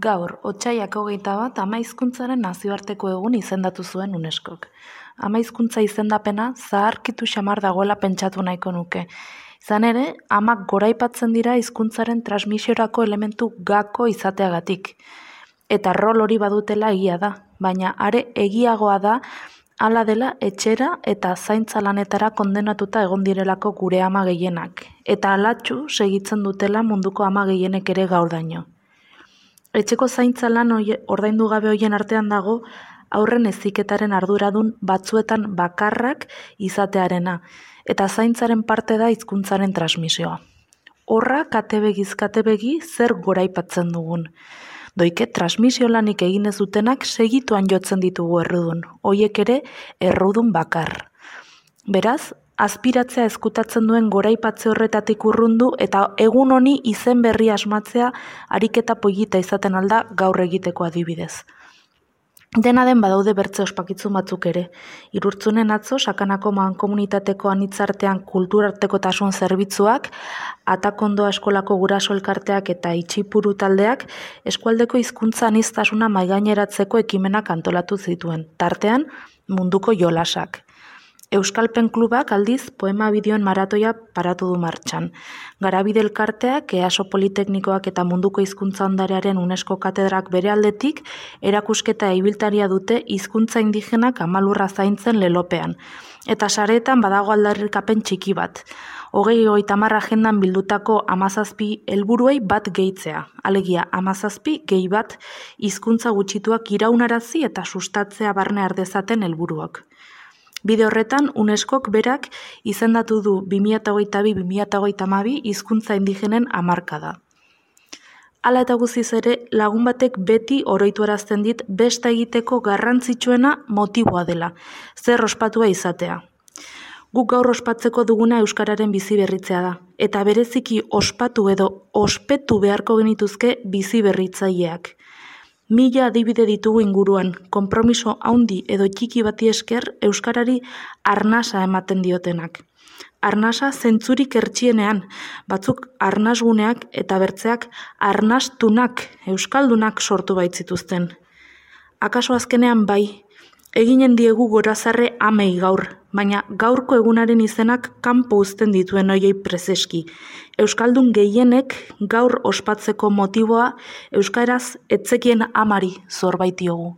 Gaur, otsailak 21 Ama Hizkuntzaren nazioarteko egun izendatu zuen UNESCOk. Ama hizkuntza izendapena zaharkitu xamar dagoela pentsatu nahiko nuke. Izan ere, amak goraipatzen dira hizkuntzaren transmisiorako elementu gako izateagatik. Eta rol hori badutela egia da, baina are egiagoa da hala dela etxera eta zaintza lanetara kondenatuta egon direlako gure ama gehienak. Eta alatxu segitzen dutela munduko ama gehienek ere gaurdaino. Etxeko zaintza lan ordaindu gabe hoien artean dago haurren heziketaren arduradun batzuetan bakarrak izatearena, eta zaintzaren parte da hizkuntzaren transmisioa. Horra katebegiz katebegi zer goraipatzen dugun. Doike transmisio lanik egin ez dutenak segituan jotzen ditugu errudun, hoiek ere errudun bakar. Beraz, azpiratzea ezkutatzen duen goraipatze horretatik urrundu eta egun honi izen berri asmatzea ariketa polita izaten alda gaur egiteko adibidez. Dena den badaude bertze ospakizun batzuk ere. Irurtzunen atzo, Sakanako mankomunitateko anitzartean kulturartekotasun zerbitzuak, Atakondoa eskolako guraso elkarteak eta Itxipuru taldeak eskualdeko hizkuntza aniztasuna mahaigaineratzeko ekimenak antolatu zituen, tartean munduko jolasak. Euskalpen klubak aldiz poema bideoen maratoia paratu du martxan. Garabide elkarteak, EASO Politeknikoak eta munduko hizkuntza ondarearen UNESCO katedrak bere aldetik erakusketa ibiltaria dute hizkuntza indigenak amalurra zaintzen lelopean. Eta sareetan badago aldarrikapen txiki bat. 2030 agendan bildutako 17 helburuei bat gehitzea. Alegia 17 gehi bat hizkuntza gutxituak iraunarazi eta sustatzea barne ardezaten helburuak. Bide horretan, UNESCOk berak izendatu du 2022-2032 hizkuntza indigenen hamarkada. Hala eta guztiz ere, lagun batek beti oroituarazten dit besta egiteko garrantzitsuena motiboa dela, zer ospatua izatea. Guk gaur ospatzeko duguna euskararen bizi berritzea da, eta bereziki ospatu edo ospetu beharko genituzke bizi berritzaileak. 1000 adibide ditugu inguruan, konpromiso handi edo txiki bati esker euskarari arnasa ematen diotenak. Arnasa zentzurik hertsienean, batzuk arnasguneak eta bertzeak arnastunak, euskaldunak sortu baitzituzten. Akaso azkenean bai, eginen diegu gorazarre amei gaur, baina gaurko egunaren izenak kanpo uzten dituen hoiei prezeski. Euskaldun gehienek gaur ospatzeko motiboa euskaraz etzekien amari zor baitiogu.